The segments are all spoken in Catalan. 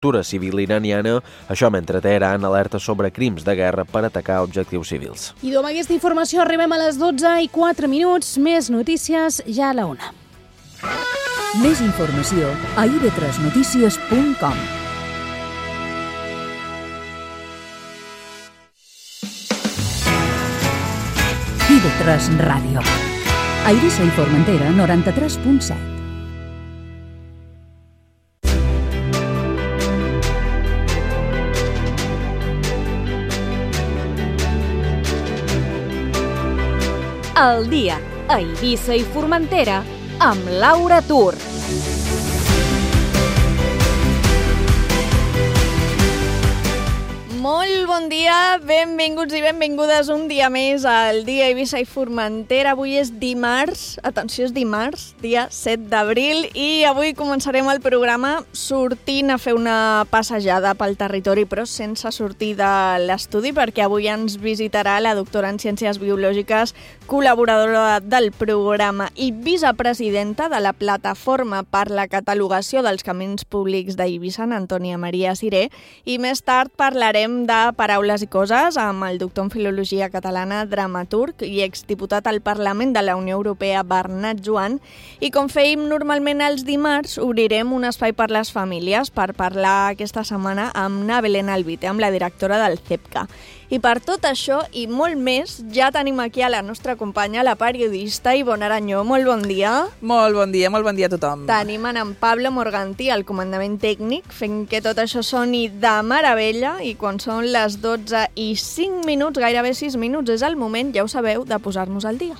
infraestructura civil iraniana, això mentre Teheran alerta sobre crims de guerra per atacar objectius civils. I amb aquesta informació arribem a les 12:04. Més notícies ja a la 1. Més informació a ib3notícies.com. IB3 Ràdio. A Eivissa i Formentera, 93.7. El dia a Eivissa i Formentera amb Laura Tur. Molt bon dia, benvinguts i benvingudes un dia més al dia Eivissa i Formentera. Avui és dimarts, atenció, és dimarts, dia 7 d'abril, i avui començarem el programa sortint a fer una passejada pel territori, però sense sortir de l'estudi, perquè avui ens visitarà la doctora en Ciències Biològiques, col·laboradora del programa i vicepresidenta de la Plataforma per la Catalogació dels Camins Públics d'Eivissa, Antònia Maria Siré, i més tard parlarem de Paraules i Coses amb el doctor en Filologia Catalana, dramaturg i exdiputat al Parlament de la Unió Europea, Bernat Joan. I com fèiem normalment els dimarts, obrirem un espai per les famílies per parlar aquesta setmana amb na Belén Albite, amb la directora del CEPCA. I per tot això i molt més, ja tenim aquí a la nostra companya, la periodista Ivonne Aranyó. Molt bon dia. Molt bon dia a tothom. Tenim en Pablo Morgantí, al comandament tècnic, fent que tot això soni de meravella, i quan són les 12:05, gairebé 6 minuts, és el moment, ja ho sabeu, de posar-nos al dia.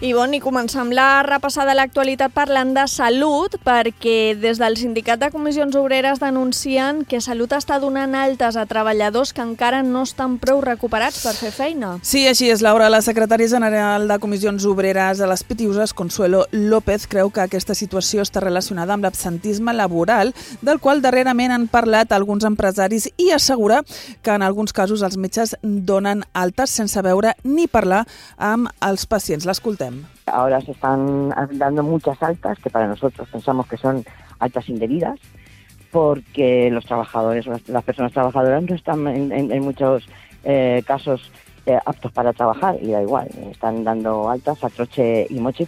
Ivonne, i començam la repassada de l'actualitat parlant de salut, perquè des del Sindicat de Comissions Obreres denuncien que Salut està donant altes a treballadors que encara no estan prou recuperats per fer feina. Sí, així és, Laura. La secretària general de Comissions Obreres de les Pitiuses, Consuelo López, creu que aquesta situació està relacionada amb l'absentisme laboral, del qual darrerament han parlat alguns empresaris, i assegura que en alguns casos els metges donen altes sense veure ni parlar amb els pacients. L'escoltem. Ahora se están dando muchas altas, que para nosotros pensamos que son altas indebidas, porque los trabajadores, las personas trabajadoras no están en muchos casos aptos para trabajar, y da igual, están dando altas a troche y moche.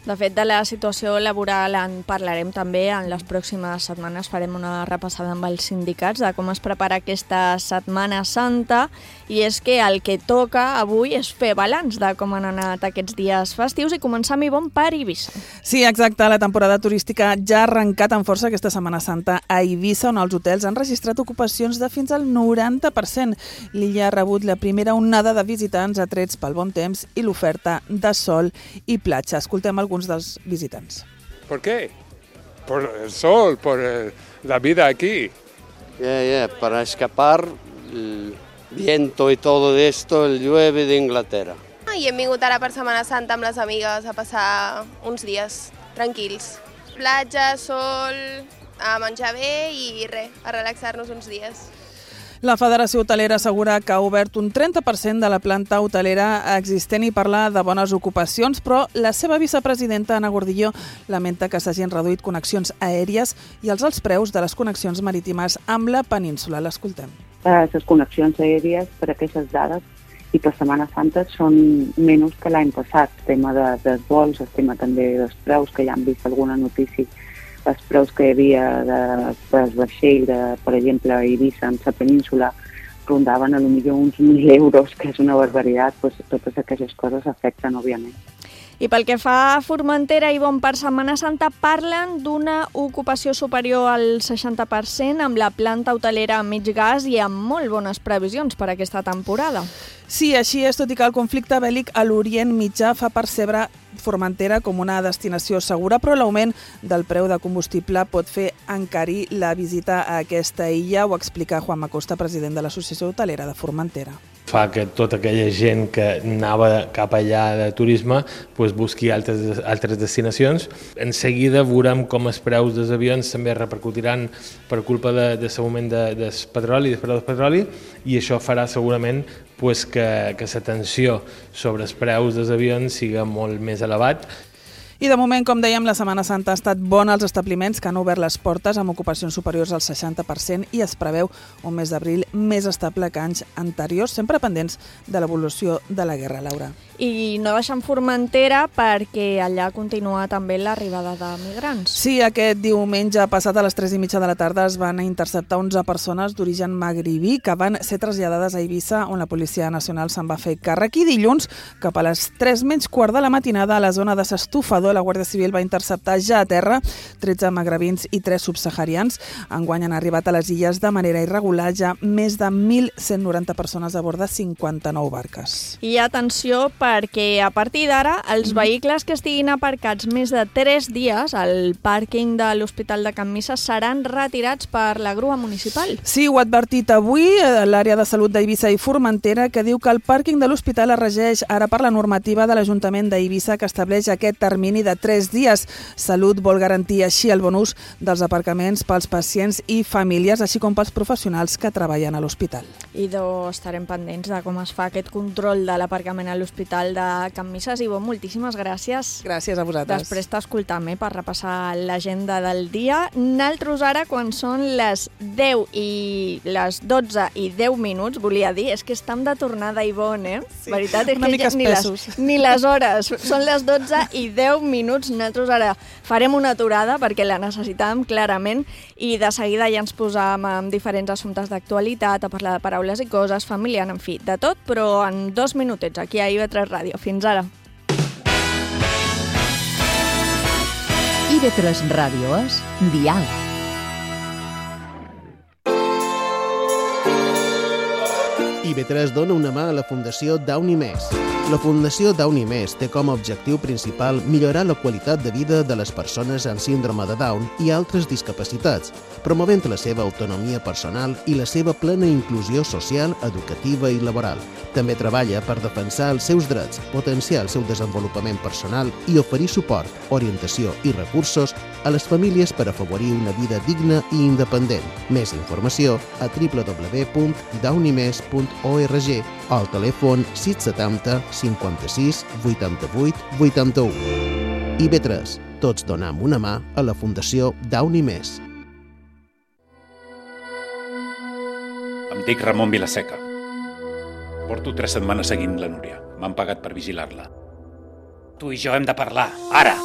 De fet, de la situació laboral en parlarem també en les pròximes setmanes. Farem una repassada amb els sindicats de com es prepara aquesta Setmana Santa, i és que el que toca avui és fer balanç de com han anat aquests dies festius i començar amb Ivonne per Eivissa. Sí, exacte. La temporada turística ja ha arrencat amb força aquesta Setmana Santa a Eivissa, on els hotels han registrat ocupacions de fins al 90%. L'illa ha rebut la primera onada de visitants atrets pel bon temps i l'oferta de sol i platja. Escoltem alguns dels visitants. ¿Por qué? Por el sol, por la vida aquí. Para escapar el viento y todo esto, el llueve de Inglaterra. I hem vingut ara per Setmana Santa amb les amigues a passar uns dies tranquils. Platja, sol, a menjar bé i res, a relaxar-nos uns dies. La Federació Hotelera assegura que ha obert un 30% de la planta hotelera existent i parla de bones ocupacions, però la seva vicepresidenta, Anna Gordillo, lamenta que s'hagin reduït connexions aèries i els alts preus de les connexions marítimes amb la península. L'escoltem. Les connexions aèries, per aquestes dades, i per Setmana Santa són menys que l'any passat. El tema dels vols, el tema també dels preus, que ja han vist alguna notícia, els preus que hi havia del vaixell, per exemple, a Eivissa, en la península, rondaven potser uns 1.000 euros, que és una barbaritat. Totes aquestes coses afecten, òbviament. I pel que fa a Formentera, Ivonne, per Setmana Santa parlen d'una ocupació superior al 60% amb la planta hotelera a mig gas i amb molt bones previsions per aquesta temporada. Sí, així és, tot i que el conflicte bèl·lic a l'Orient Mitjà fa percebre Formentera com una destinació segura, però l'augment del preu de combustible pot fer encarir la visita a aquesta illa. Ho explica Juan Macosta, president de l'Associació Hotelera de Formentera. Fa que tota aquella gent que anava cap allà de turisme busqui altres destinacions. En seguida veurem com els preus dels avions també repercutiran per culpa de l'augment del petroli, del preu del petroli, i això farà segurament que la tensió sobre els preus dels avions siga molt més elevat. I de moment, com dèiem, la Setmana Santa ha estat bona als establiments que han obert les portes amb ocupacions superiors al 60% i es preveu un mes d'abril més estable que anys anteriors, sempre pendents de l'evolució de la guerra, Laura. I no deixem Formentera perquè allà continua també l'arribada de migrants. Sí, aquest diumenge passat a les 3:30 de la tarda es van interceptar 11 persones d'origen magribí que van ser traslladades a Eivissa, on la Policia Nacional se'n va fer càrrec. I dilluns, cap a les 3:15 de la matinada, a la zona de s'Estufador, la Guàrdia Civil va interceptar ja a terra 13 magrebins i 3 subsaharians. Enguany han arribat a les illes de manera irregular ja més de 1.190 persones a bord de 59 barques. I atenció, perquè a partir d'ara els vehicles que estiguin aparcats més de 3 dies al pàrquing de l'Hospital de Can Misses seran retirats per la grua municipal. Sí, ho ha advertit avui l'àrea de salut d'Eivissa i Formentera, que diu que el pàrquing de l'hospital es regeix ara per la normativa de l'Ajuntament d'Eivissa, que estableix aquest termini de 3 dies. Salut vol garantir així el bon ús dels aparcaments pels pacients i famílies, així com pels professionals que treballen a l'hospital. I estarem pendents de com es fa aquest control de l'aparcament a l'Hospital de Can Misses. Ivo, moltíssimes gràcies. Gràcies a vosaltres. Després t'escoltam per repassar l'agenda del dia. Naltros ara, quan són les 10 i les 12 i 10 minuts, volia dir, és que estem de tornada, Ivonne, Sí, veritat, és una que mica ni les hores. Són les 12 i 10 minuts. Nosaltres ara farem una aturada perquè la necessitàvem clarament i de seguida ja ens posam amb diferents assumptes d'actualitat, a parlar de paraules i coses, familiar, en fi, de tot, però en 2 minutets aquí a IB3 Ràdio. Fins ara. IB3 Ràdio és Dial. IB3 dona una mà a la Fundació Downy Més. La Fundació Downy Més té com a objectiu principal millorar la qualitat de vida de les persones amb síndrome de Down i altres discapacitats, promovent la seva autonomia personal i la seva plena inclusió social, educativa i laboral. També treballa per defensar els seus drets, potenciar el seu desenvolupament personal i oferir suport, orientació i recursos a les famílies per afavorir una vida digna i independent. Més informació a www.downymes.org o al telèfon 670 56 88 81. IB3. Tots donam una mà a la Fundació Downy Més. Em dic Ramon Vilaseca. Porto 3 setmanes seguint la Núria. M'han pagat per vigilar-la. Tu i jo hem de parlar, ara!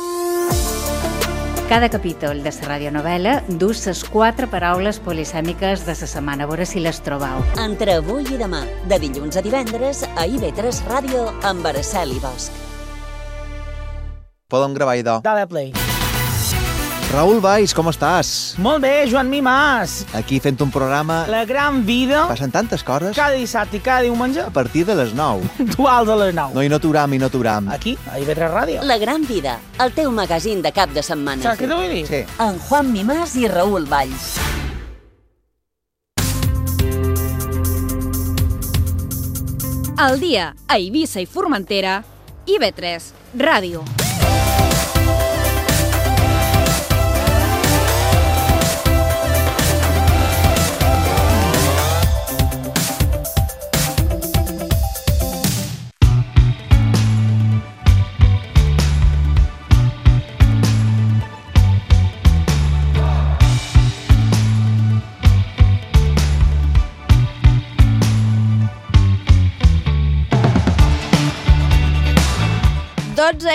Cada capítol de la radionovel·la dus les 4 paraules polisèmiques de la setmana, a veure si les trobau. Entre avui i demà, de dilluns a divendres, a IB3 Ràdio, amb Araceli Bosch. Podem gravar, idò. Dale play. Raül Valls, com estàs? Molt bé, Joan Mimàs. Aquí fent un programa... La gran vida. Passen tantes coses. Cada dissabte i cada diumenge. A partir de les 9. Puntuals a les 9. No, i no aturam, i no aturam. Aquí, a IB3 Ràdio. La gran vida, el teu magazín de cap de setmana. Saps què t'ho vull dir? Sí. En Juan Mimàs i Raül Valls. Al dia, a Eivissa i Formentera, IB3 Ràdio.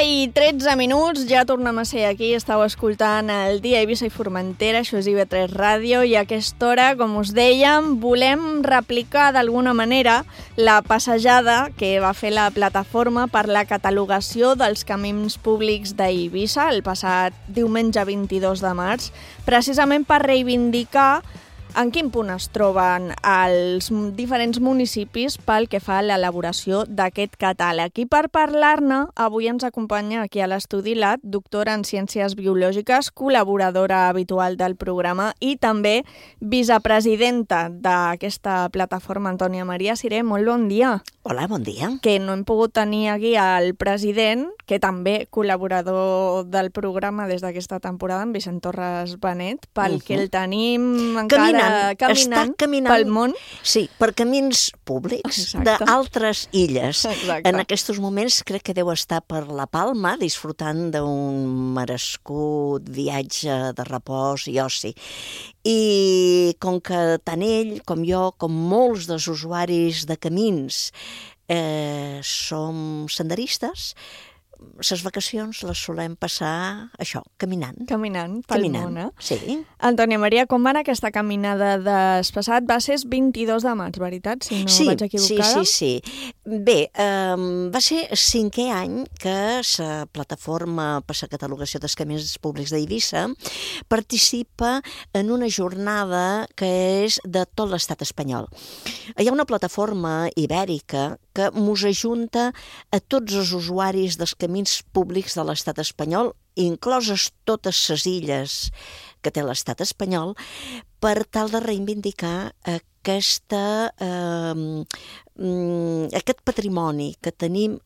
I 13 minuts, ja tornem a ser aquí, estàu escoltant el dia a Eivissa i Formentera, això és IB3 Ràdio, i a aquesta hora, com us dèiem, volem replicar d'alguna manera la passejada que va fer la plataforma per la catalogació dels camins públics d'Eivissa el passat diumenge 22 de març, precisament per reivindicar en quin punt es troben els diferents municipis pel que fa a l'elaboració d'aquest catàleg. I per parlar-ne, avui ens acompanya aquí a l'estudi la doctora en Ciències Biològiques, col·laboradora habitual del programa i també vicepresidenta d'aquesta plataforma, Antònia Maria Siré. Molt bon dia. Hola, bon dia. Que no hem pogut tenir aquí al president, que també col·laborador del programa des d'aquesta temporada, en Vicent Torres Benet, pel que el tenim encara... caminant pel món. Sí, per camins públics d'altres illes. Exacte. En aquests moments crec que deu estar per La Palma disfrutant d'un merescut viatge de repòs i oci. I com que tant ell com jo, com molts dels usuaris de camins, som senderistes, les vacacions les solem passar, això, caminant. Caminant pel món, eh? Sí. Antònia Maria, com va anar aquesta caminada despassat? Va ser 22 de maig, veritat? Si no vaig equivocada. Sí. Bé, va ser 5è any que la plataforma per la catalogació dels camins públics d'Eivissa participa en una jornada que és de tot l'estat espanyol. Hi ha una plataforma ibèrica que mos ajunta a tots els usuaris dels camins públics de l'estat espanyol, incloses totes les illes que té l'estat espanyol, per tal de reivindicar aquest patrimoni que tenim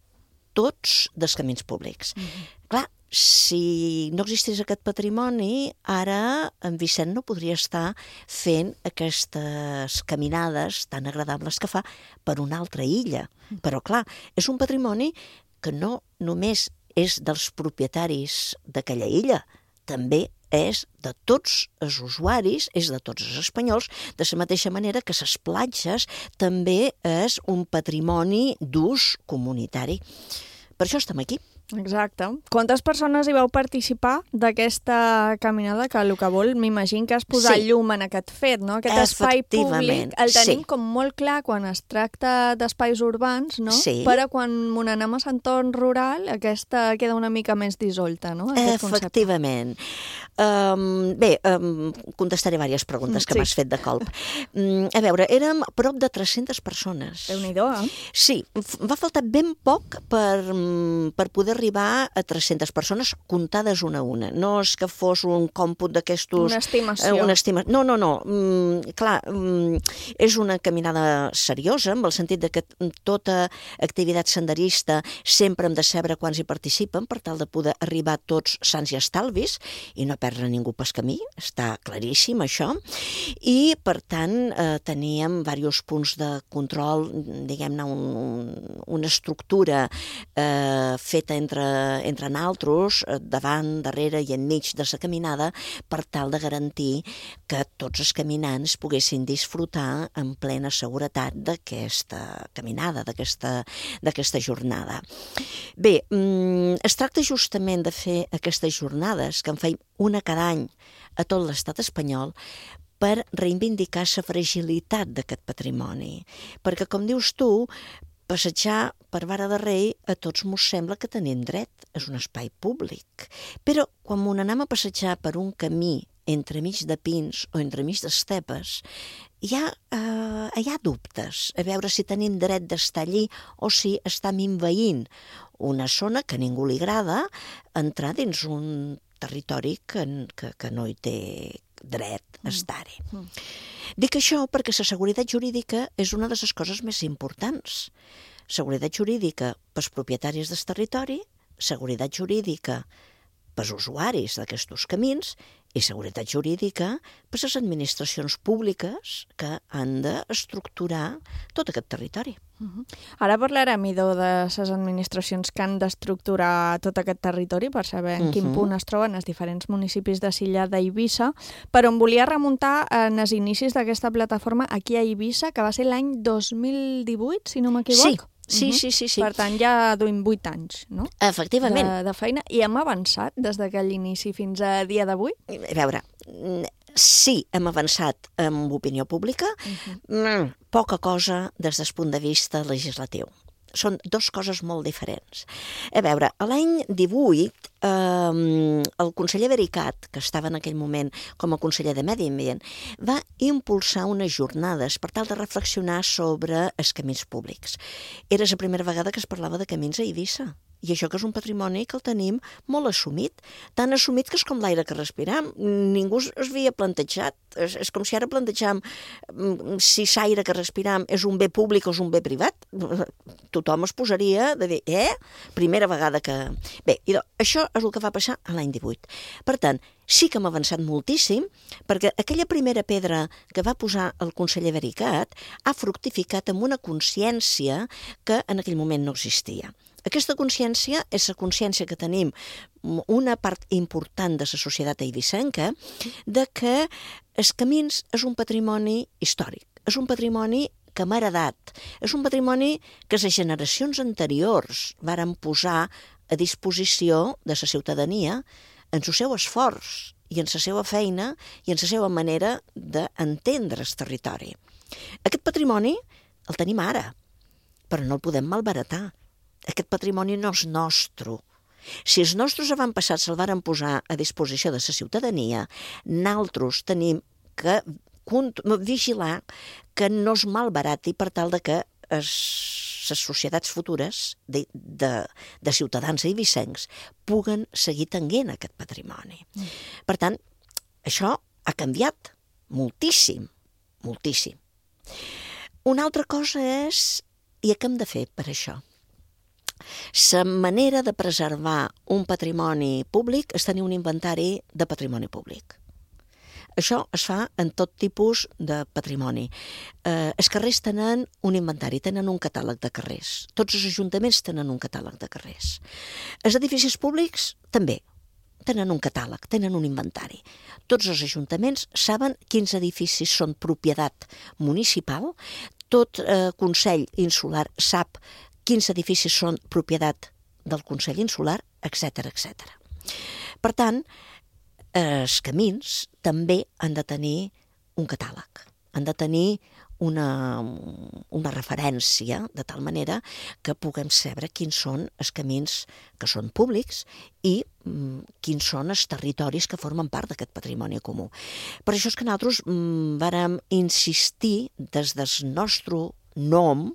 tots dels camins públics. Clar, si no existís aquest patrimoni, ara en Vicent no podria estar fent aquestes caminades tan agradables que fa per una altra illa. Però clar, és un patrimoni que no només és dels propietaris d'aquella illa, també és de tots els usuaris, és de tots els espanyols, de la mateixa manera que les platges també és un patrimoni d'ús comunitari. Per això estem aquí. Exacte. Quantes persones hi vau participar d'aquesta caminada, que el que vol, m'imagino que és posar llum en aquest fet, no? Aquest espai públic el tenim com molt clar quan es tracta d'espais urbans, no? Però quan anem a l'entorn rural, aquesta queda una mica més dissolta, no? Efectivament. Bé, contestaré diverses preguntes que m'has fet de colp. A veure, érem prop de 300 persones. Déu-n'hi-do, eh? Sí, va faltar ben poc per poder arribar a 300 persones comptades una a una. No és que fos un còmput d'aquestos... Una estimació. No. Clar, és una caminada seriosa, en el sentit de que tota activitat senderista sempre hem de saber quants hi participen per tal de poder arribar tots sants i estalvis i no perdre ningú pel camí, està claríssim això. I, per tant, teníem diversos punts de control, diguem-ne, una estructura feta entre naltros, davant, darrere i enmig de la caminada, per tal de garantir que tots els caminants poguessin disfrutar en plena seguretat d'aquesta caminada, d'aquesta jornada. Bé, es tracta justament de fer aquestes jornades, que en feim una cada any a tot l'estat espanyol, per reivindicar la fragilitat d'aquest patrimoni. Perquè, com dius tu, passejar per Vara de Rei a tots mos sembla que tenim dret, és un espai públic. Però quan anem a passejar per un camí entremig de pins o entremig d'estepes, hi ha dubtes a veure si tenim dret d'estar allí o si estem envaint una zona que a ningú li agrada entrar dins un territori que no hi té dret a estar-hi. Dic això perquè la seguretat jurídica és una de les coses més importants. Seguretat jurídica pels propietaris del territori, seguretat jurídica pels usuaris d'aquests camins i seguretat jurídica per les administracions públiques que han d'estructurar tot aquest territori. Ara parlarem, Idó, de les administracions que han d'estructurar tot aquest territori per saber en quin punt es troben els diferents municipis de l'illa d'Eivissa, però em volia remuntar en els inicis d'aquesta plataforma aquí a Eivissa, que va ser l'any 2018, si no m'equivoc. Sí. Per tant, ja duim 8 anys, no? Efectivament. De feina. I hem avançat des d'aquell inici fins a dia d'avui? A veure, sí, hem avançat en opinió pública, poca cosa des del punt de vista legislatiu. Són dues coses molt diferents. A veure, l'any 18, el conseller Vericat, que estava en aquell moment com a conseller de Medi Ambient, va impulsar unes jornades per tal de reflexionar sobre els camins públics. Era la primera vegada que es parlava de camins a Eivissa. I això que és un patrimoni que el tenim molt assumit, tan assumit que és com l'aire que respiram. Ningú es havia plantejat. És com si ara plantejam si l'aire que respiram és un bé públic o és un bé privat. tothom es posaria de dir, primera vegada que... Bé, això és el que va passar a l'any 18. Per tant, sí que hem avançat moltíssim, perquè aquella primera pedra que va posar el conseller Vericat ha fructificat amb una consciència que en aquell moment no existia. Aquesta consciència és la consciència que tenim una part important de la societat eivissenca de que els camins és un patrimoni històric, és un patrimoni que m'ha heredat, és un patrimoni que les generacions anteriors varen posar a disposició de la ciutadania en el seu esforç i en la seva feina i en la seva manera d'entendre el territori. Aquest patrimoni el tenim ara, però no el podem malbaratar. Aquest patrimoni no és nostre. Si els nostres avantpassats se'l varen posar a disposició de la ciutadania, nosaltres tenim que vigilar que no es malbarati per tal de que les societats futures de ciutadans eivissencs puguen seguir tenint aquest patrimoni. Per tant, això ha canviat moltíssim, moltíssim. Una altra cosa és, i què hem de fer per això? La manera de preservar un patrimoni públic és tenir un inventari de patrimoni públic. Això es fa en tot tipus de patrimoni. Els carrers tenen un inventari, tenen un catàleg de carrers. Tots els ajuntaments tenen un catàleg de carrers. Els edificis públics també tenen un catàleg, tenen un inventari. Tots els ajuntaments saben quins edificis són propietat municipal, tot Consell Insular sap quins edificis són propietat del Consell Insular, etc. etc. Per tant, els camins també han de tenir un catàleg, han de tenir una referència, de tal manera que puguem saber quins són els camins que són públics i quins són els territoris que formen part d'aquest patrimoni comú. Per això és que nosaltres vàrem insistir des del nostre nom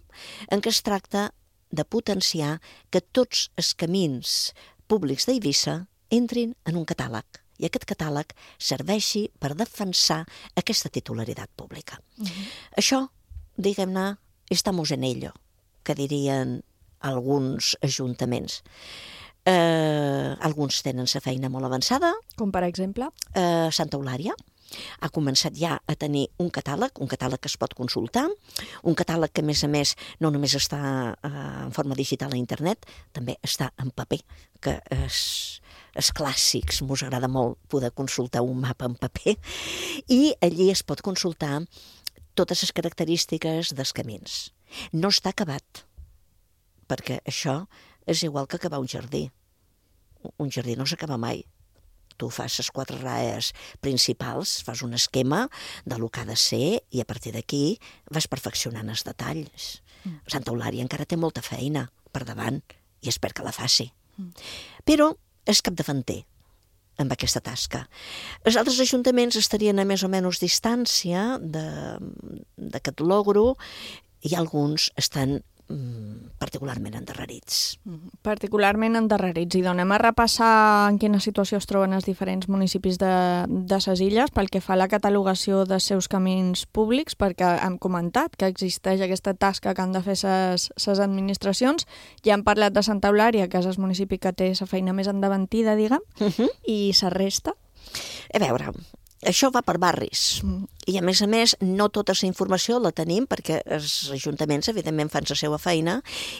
en què es tracta de potenciar que tots els camins públics d'Eivissa entrin en un catàleg i aquest catàleg serveixi per defensar aquesta titularitat pública. Això, diguem-ne, estamos en ello, que dirien alguns ajuntaments. Alguns tenen la feina molt avançada. Com per exemple? Santa Eulària ha començat ja a tenir un catàleg que es pot consultar, un catàleg que, a més, no només està en forma digital a internet, també està en paper, que els clàssics, mos agrada molt poder consultar un mapa en paper, i allí es pot consultar totes les característiques dels camins. No està acabat, perquè això és igual que acabar un jardí. Un jardí no s'acaba mai. Tu fas les 4 raes principals, fas un esquema de lo que ha de ser i a partir d'aquí vas perfeccionant els detalls. Santa Eulària encara té molta feina per davant i espero que la faci. Però és capdavanter amb aquesta tasca. Els altres ajuntaments estarien a més o menys distància d'aquest logro i alguns estan particularment endarrerits. Particularment endarrerits. I anem a repassar en quina situació es troben els diferents municipis de ses illes pel que fa a la catalogació dels seus camins públics, perquè hem comentat que existeix aquesta tasca que han de fer ses administracions. Ja hem parlat de Santa Eulària, que és el municipi que té la feina més endavantida, diguem, i la resta? A veure, això va per barris i a més, no tota la informació la tenim perquè els ajuntaments evidentment fan la seva feina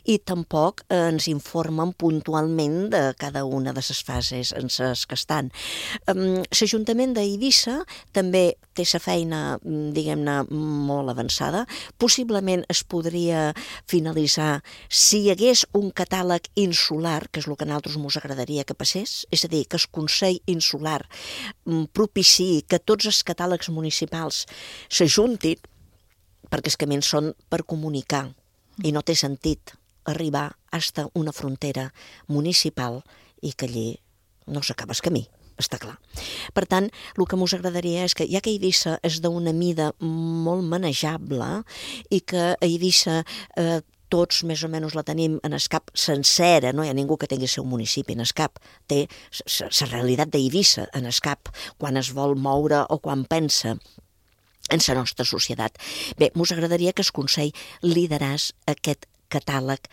i tampoc ens informen puntualment de cada una de les fases en les que estan. L'Ajuntament d'Eivissa també té la feina, diguem-ne, molt avançada. Possiblement es podria finalitzar si hi hagués un catàleg insular, que és el que a nosaltres ens agradaria que passés, és a dir, que el Consell Insular propiciï que tots els catàlegs municipals s'ajuntin, perquè els camins són per comunicar i no té sentit arribar fins a una frontera municipal i que allí no s'acaba el camí, està clar. Per tant, el que ens agradaria és que, ja que Eivissa és d'una mida molt manejable i que Eivissa tots més o menys la tenim en el cap sencera, no hi ha ningú que tingui el seu municipi en el cap, té la realitat d'Eivissa en el cap quan es vol moure o quan pensa en la nostra societat. Bé, ens agradaria que el Consell lideràs aquest catàleg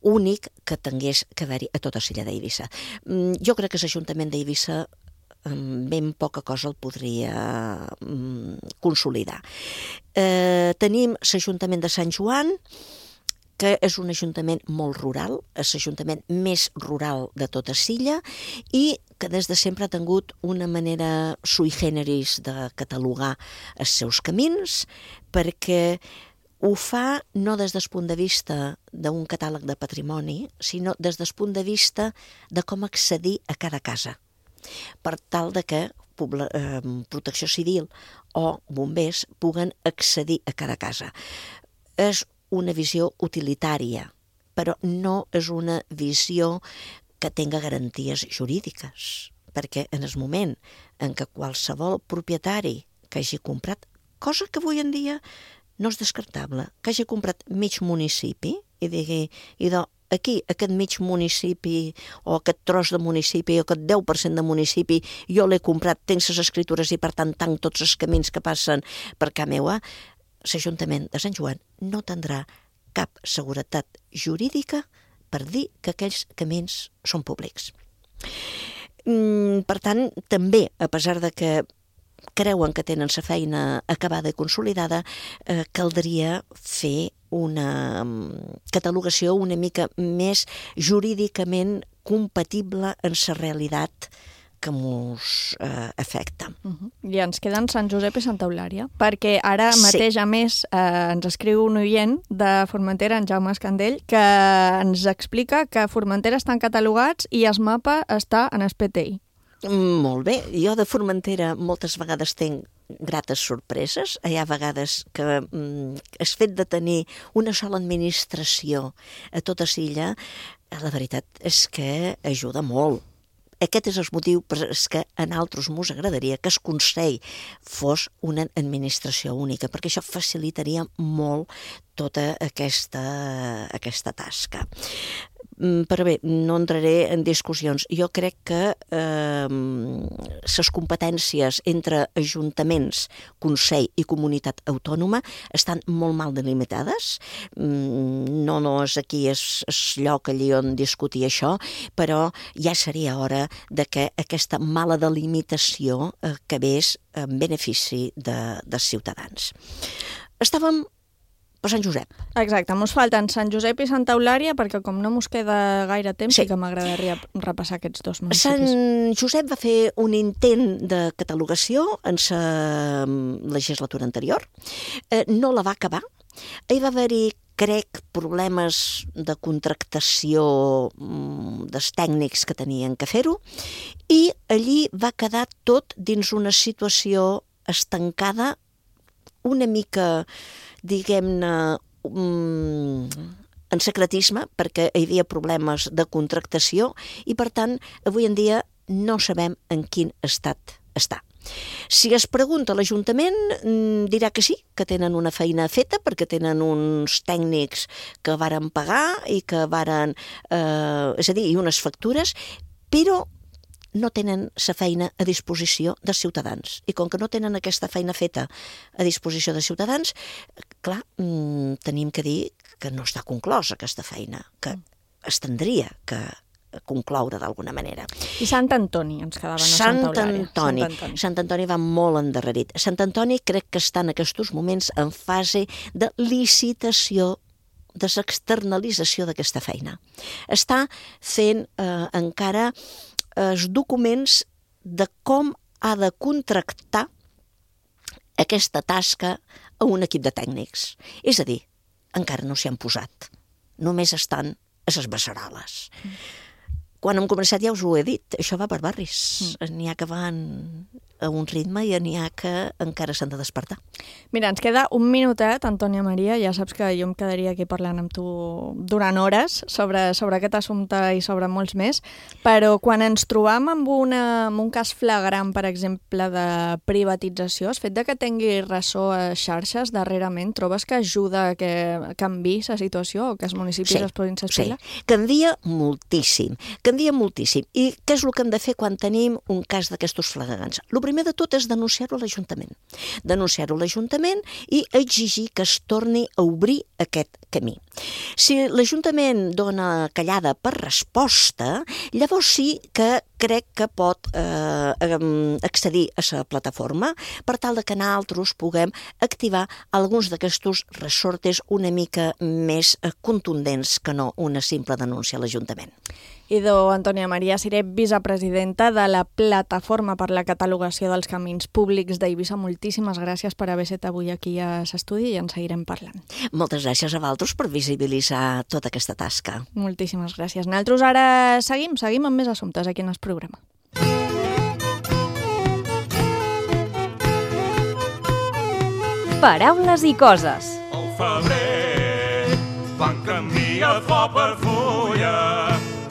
únic que tingués que haver-hi a tota l'illa d'Eivissa. Jo crec que l'Ajuntament d'Eivissa ben poca cosa el podria consolidar. Tenim l'Ajuntament de Sant Joan, que és un ajuntament molt rural, és l'ajuntament més rural de tota l'illa i que des de sempre ha tingut una manera sui generis de catalogar els seus camins, perquè ho fa no des del punt de vista d'un catàleg de patrimoni, sinó des del punt de vista de com accedir a cada casa, per tal de que Protecció Civil o bombers puguen accedir a cada casa. És una visió utilitària, però no és una visió que tenga garanties jurídiques, perquè en el moment en què qualsevol propietari que hagi comprat, cosa que avui en dia no és descartable, que hagi comprat mig municipi i digui, aquí, aquest mig municipi o aquest tros de municipi o aquest 10% de municipi, jo l'he comprat, tinc les escritures i per tant tanc tots els camins que passen per casa meua, l'Ajuntament de Sant Joan no tindrà cap seguretat jurídica per dir que aquells camins són públics. Per tant, també, a pesar de que creuen que tenen la feina acabada i consolidada, caldria fer una catalogació una mica més jurídicament compatible amb la realitat que ens afecta. I ens queden Sant Josep i Santa Eulària, perquè ara mateix, a més, ens escriu un oient de Formentera, en Jaume Escandell, que ens explica que Formentera estan catalogats i el mapa està en el PTI. Molt bé. Jo de Formentera moltes vegades tinc grates sorpreses. Hi ha vegades que el fet de tenir una sola administració a tota l'illa, la veritat és que ajuda molt. Aquest és el motiu per què a nosaltres ens agradaria que el Consell fos una administració única, perquè això facilitaria molt tota aquesta tasca. Però bé, no entraré en discussions. Jo crec que les competències entre ajuntaments, Consell i comunitat autònoma estan molt mal delimitades. No és aquí el lloc allí on discutir això, però ja seria hora de que aquesta mala delimitació acabés en benefici dels ciutadans. Estàvem per Sant Josep. Exacte, ens falten Sant Josep i Santa Eulària, perquè com no ens queda gaire temps, sí que m'agradaria repassar aquests dos municipis. Sant Josep va fer un intent de catalogació en la legislatura anterior, no la va acabar, hi va haver-hi, crec, problemes de contractació dels tècnics que tenien que fer-ho, i allí va quedar tot dins una situació estancada, una mica, diguem-ne, en secretisme, perquè hi havia problemes de contractació i, per tant, avui en dia no sabem en quin estat està. Si es pregunta a l'Ajuntament, dirà que sí, que tenen una feina feta, perquè tenen uns tècnics que varen pagar i que varen, és a dir, i unes factures, però no tenen la feina a disposició dels ciutadans. I com que no tenen aquesta feina feta a disposició dels ciutadans, clar, tenim que dir que no està conclosa aquesta feina, que es tindria que concloure d'alguna manera. I Sant Antoni, ens quedava, no Santa Eulària. Sant Antoni va molt endarrerit. Sant Antoni crec que està en aquests moments en fase de licitació, de l'externalització d'aquesta feina. Està fent encara els documents de com ha de contractar aquesta tasca a un equip de tècnics. És a dir, encara no s'hi han posat. Només estan a les beceroles. Quan hem començat ja us ho he dit, això va per barris. N'hi ha que van a un ritme i n'hi ha que encara s'han de despertar. Mira, ens queda un minutet, Antònia Maria, ja saps que jo em quedaria aquí parlant amb tu durant hores sobre aquest assumpte i sobre molts més, però quan ens trobam amb un cas flagrant, per exemple, de privatització, el fet de que tingui ressò a xarxes darrerament, trobes que ajuda a que canviï la situació o que els municipis es posin les piles? Sí, canvia moltíssim. canvia moltíssim. I què és el que hem de fer quan tenim un cas d'aquestos flagrants? El primer de tot és denunciar-ho a l'Ajuntament. Denunciar-ho a l'Ajuntament i exigir que es torni a obrir aquest camí. Si l'Ajuntament dona callada per resposta, llavors sí que crec que pot accedir a la plataforma per tal de que nosaltres puguem activar alguns d'aquests ressortes una mica més contundents que no una simple denúncia a l'Ajuntament. Idò Antònia Maria Siré, vicepresidenta de la Plataforma per la Catalogació dels Camins Públics d'Eivissa. Moltíssimes gràcies per haver estat avui aquí a l'estudi i en seguirem parlant. Moltes gràcies a vosaltres per visibilitzar tota aquesta tasca. Moltíssimes gràcies. Nosaltres ara seguim amb més assumptes aquí en el programa. Paraules i coses. Al febrer, quan canvia flor per fulla,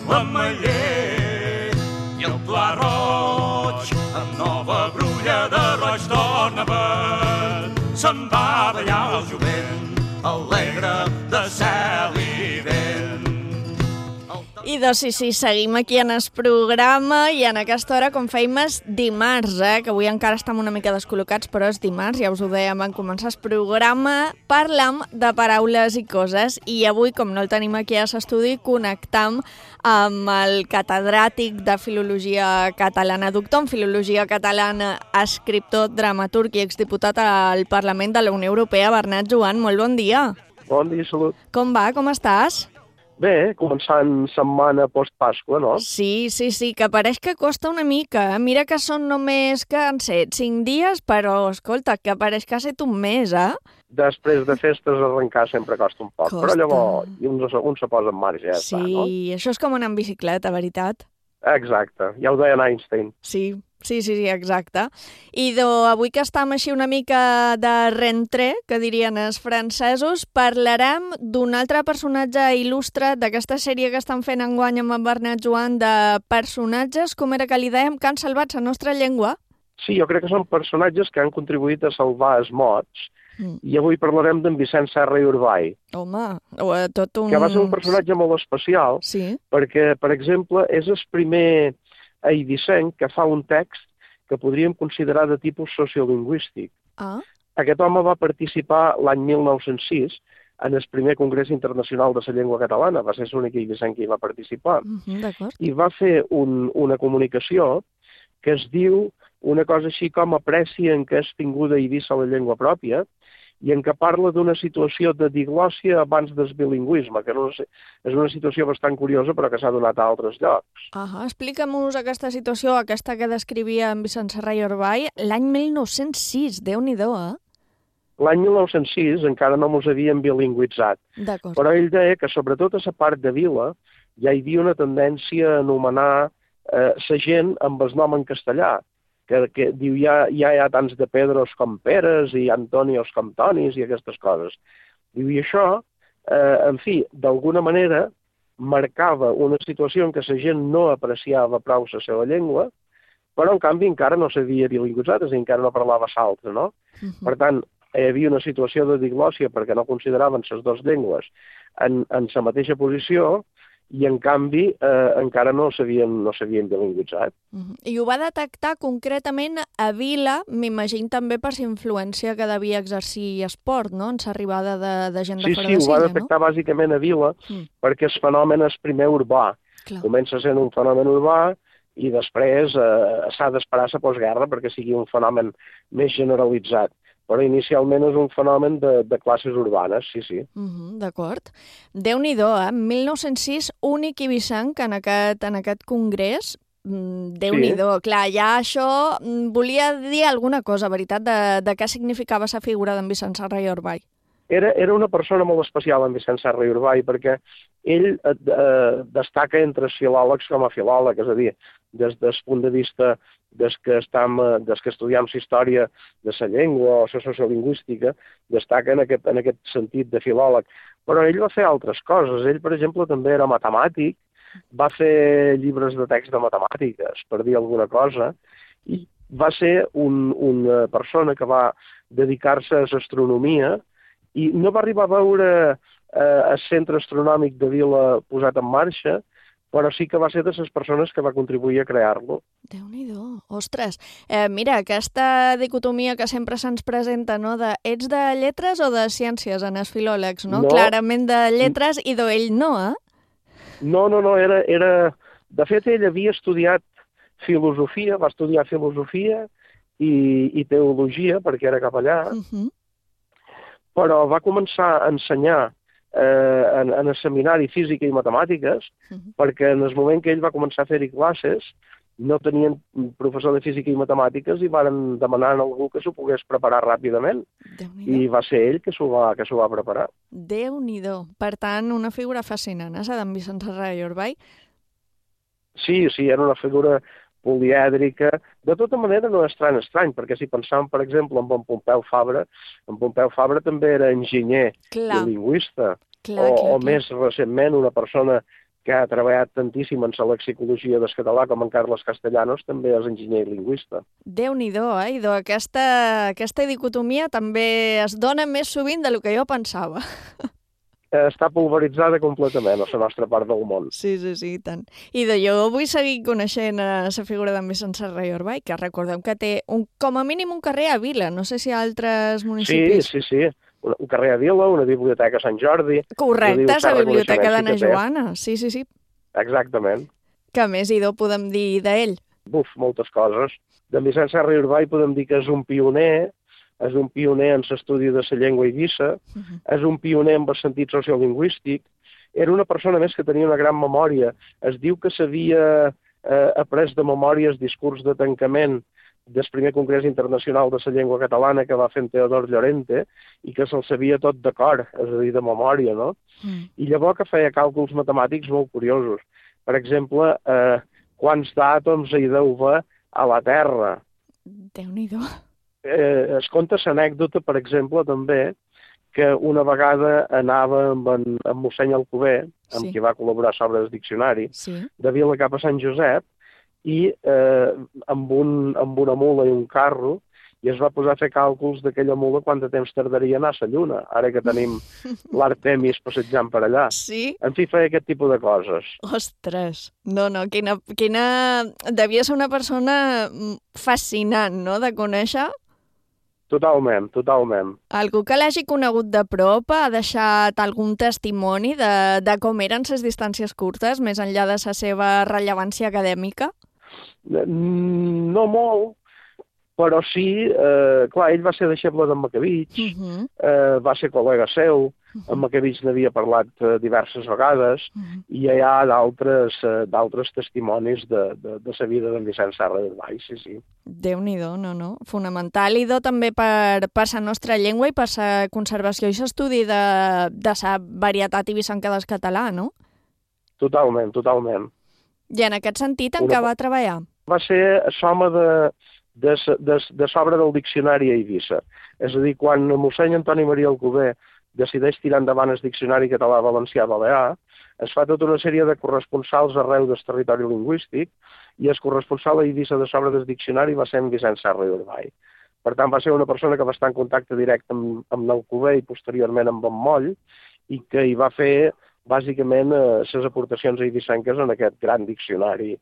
l'ametller i el pla roig, amb nova brulla de roig torna verd. Se'n va ballar el jovent, alegre de cel i vent. I doncs sí, seguim aquí en el programa i en aquesta hora, com fèiem, és dimarts, que avui encara estem una mica descol·locats, però és dimarts, ja us ho dèiem en començar el programa, parlam de paraules i coses i avui, com no el tenim aquí a l'estudi, connectam amb el catedràtic de Filologia Catalana, doctor en Filologia Catalana, escriptor, dramaturg i exdiputat al Parlament de la Unió Europea, Bernat Joan. Molt bon dia. Bon dia, salut. Com va? Com estàs? Bé, començant setmana post-Pasqua, no? Sí, que pareix que costa una mica. Mira que són només, que han set 5 dies, però, escolta, que pareix que ha set un mes, Després de festes arrencar sempre costa un poc, però llavors un se posa en marxa, ja està, no? Sí, això és com anar en bicicleta, veritat? Exacte, ja ho deia Einstein. Sí, exacte. I avui que estem així una mica de rentré, que dirien els francesos, parlarem d'un altre personatge il·lustre d'aquesta sèrie que estan fent enguany amb en Bernat Joan, de personatges, com era que li dèiem, que han salvat la nostra llengua? Sí, jo crec que són personatges que han contribuït a salvar els mots, i avui parlarem d'en Vicent Serra i Urbay. Home, tot un... Que va ser un personatge molt especial, perquè, per exemple, és el primer eivissenc que fa un text que podríem considerar de tipus sociolingüístic. Aquest home va participar l'any 1906 en el primer Congrés Internacional de la Llengua Catalana, va ser l'únic eivissenc que hi va participar, i va fer una comunicació que es diu una cosa així com aprecien que és tinguda a Eivissa la llengua pròpia, i en què parla d'una situació de diglòssia abans del bilingüisme, que és una situació bastant curiosa però que s'ha donat a altres llocs. Explica'm-nos aquesta situació, aquesta que descrivia en Vicent Serra i Urbay, l'any 1906, Déu-n'hi-do, L'any 1906 encara no mos havíem bilingüitzat, però ell deia que sobretot a la part de vila ja hi havia una tendència a anomenar la gent amb el nom en castellà, que diu ja hi ha tants de Pedros com Peres i Antonios com Tonis i aquestes coses. Diu, i això, en fi, d'alguna manera marcava una situació en què la gent no apreciava prou la seva llengua, però en canvi encara no s'havia bilingüitzat, és a dir, encara no parlava l'altra, no? Per tant, hi havia una situació de diglòssia perquè no consideraven les dues llengües en la mateixa posició, i en canvi encara no s'havien bilingüitzat. I ho va detectar concretament a Vila, m'imagino també per la influència que devia exercir esport, no?, en l'arribada de gent de fora de Silla, no? Sí, ho va detectar bàsicament a Vila, perquè el fenomen és primer urbà. Comença sent un fenomen urbà i després s'ha d'esperar la postguerra perquè sigui un fenomen més generalitzat. Però inicialment és un fenomen de classes urbanes, sí. D'acord. Déu-n'hi-do, 1906, únic eivissenc en aquest congrés. Déu-n'hi-do. Clar, ja això volia dir alguna cosa, veritat, de què significava la figura d'en Vicent Serra i Urbay. Era una persona molt especial, en Vicent Serra i Urbay, perquè ell destaca entre els filòlegs com a filòleg, és a dir, des del punt de vista des que estudiem la història de la llengua o la sociolingüística, destaca en aquest sentit de filòleg. Però ell va fer altres coses. Ell, per exemple, també era matemàtic, va fer llibres de text de matemàtiques, per dir alguna cosa, i va ser una persona que va dedicar-se a l'astronomia i no va arribar a veure el centre astronòmic de Vila posat en marxa, però sí que va ser de les persones que va contribuir a crear-lo. Déu-n'hi-do. Ostres, mira, aquesta dicotomia que sempre se'ns presenta, no?, de ets de lletres o de ciències en els filòlegs, no? Clarament de lletres i d'ell no, eh? No, era... De fet, ell havia estudiat filosofia, va estudiar filosofia i teologia, perquè era capellà, però va començar a ensenyar en el seminari física i matemàtiques, perquè en el moment que ell va començar a fer-hi classes no tenien professor de física i matemàtiques i van demanar a algú que s'ho pogués preparar ràpidament. I va ser ell que s'ho va preparar. Déu-n'hi-do. Per tant, una figura fascinant, d'en Vicenç Serra i Orbay. Sí, era una figura polièdrica. De tota manera no és tan estrany, perquè si pensàvem, per exemple, en Pompeu Fabra també era enginyer i lingüista. O més recentment, una persona que ha treballat tantíssim en la lexicologia del català com en Carles Castellanos també és enginyer i lingüista. Déu-n'hi-do, aquesta dicotomia també es dona més sovint del que jo pensava. Està pulveritzada completament a la nostra part del món. Sí, i tant. I jo vull seguir coneixent la figura d'en Vicenç Serra i Orbay, que recordem que té com a mínim un carrer a Vila, no sé si a altres municipis. Sí. Un carrer a Vila, una biblioteca a Sant Jordi... Correcte, la biblioteca d'Anna Joana, sí. Exactament. Què més podem dir d'ell? Moltes coses. D'en Vicenç Serra i Orbay podem dir que és un pioner en l'estudi de la llengua eivissa, és un pioner en el sentit sociolingüístic, era una persona més que tenia una gran memòria. Es diu que s'havia après de memòria el discurs de tancament del primer Congrés Internacional de la Llengua Catalana que va fer en Teodor Llorente i que se'l sabia tot de cor, és a dir, de memòria, no? I llavors que feia càlculs matemàtics molt curiosos. Per exemple, quants d'àtoms hi deu haver a la Terra. Déu-n'hi-do. Es conta l'anècdota, per exemple, també, que una vegada anava amb mossèn Alcover, amb qui va col·laborar sobre el diccionari, de Vila cap a Sant Josep, i amb una mula i un carro, i es va posar a fer càlculs d'aquella mula quant de temps tardaria a anar a la Lluna, ara que tenim l'Artemis passejant per allà. Sí? En fi, feia aquest tipus de coses. Ostres! No, quina... Devia ser una persona fascinant, no?, de conèixer. Totalment. Algú que l'hagi conegut de prop ha deixat algun testimoni de com eren les distàncies curtes, més enllà de la seva rellevància acadèmica? No molt, però sí, clar, ell va ser deixeble d'en Macavitx, va ser col·lega seu, en Macavitx n'havia parlat diverses vegades, i hi ha d'altres testimonis de la vida d'en Vicenç Serra i Orbay, sí. Déu-n'hi-do, no. Fonamental, i també per la nostra llengua i per la conservació i l'estudi de la varietat ibissenca del català, no? Totalment. I en aquest sentit, en què va treballar? Va ser l'home de l'obra del diccionari a Eivissa. És a dir, quan mossèn Antoni Maria Alcover decideix tirar endavant el diccionari català-valencià-balear, es fa tota una sèrie de corresponsals arreu del territori lingüístic i el corresponsal a Eivissa de l'obra del diccionari va ser en Vicenç Serra i Orbay. Per tant, va ser una persona que va estar en contacte directe amb l'Alcover i posteriorment amb en Moll i que hi va fer, bàsicament, les aportacions eivissenques en aquest gran diccionari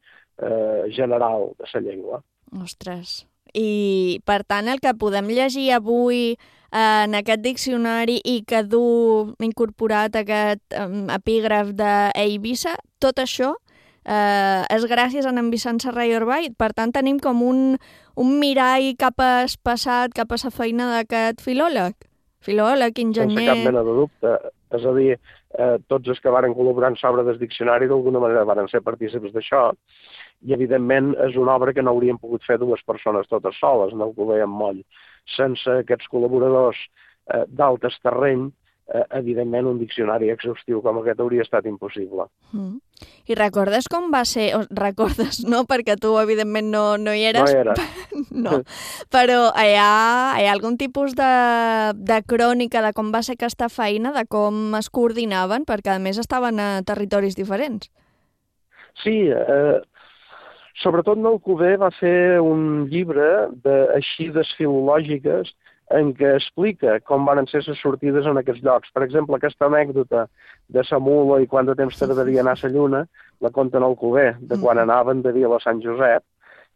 general de la llengua. Ostres! I, per tant, el que podem llegir avui en aquest diccionari i que du incorporat aquest epígraf d'Eivissa, tot això és gràcies a en Vicenç Serra i Orbay. Per tant, tenim com un mirall cap al passat, cap a la feina d'aquest filòleg, enginyer... Sense cap mena de dubte. És a dir, tots els que varen col·laborar en l'obra del diccionari d'alguna manera varen ser partícips d'això, i evidentment és una obra que no haurien pogut fer dues persones totes soles, en Alcover i en Moll. Sense aquests col·laboradors d'altes terreny, evidentment un diccionari exhaustiu com aquest hauria estat impossible. I recordes com va ser? Recordes, no? Perquè tu, evidentment, no hi eres. No hi era. No. Però hi ha algun tipus de crònica de com va ser aquesta feina, de com es coordinaven, perquè a més estaven a territoris diferents. Sí, sobretot Alcover va fer un llibre d'eixides filològiques en què explica com van ser les sortides en aquests llocs. Per exemple, aquesta anècdota de la mula i quant de temps tardaria anar a la lluna, la conten al Alcover, de quan anaven de Vila a Sant Josep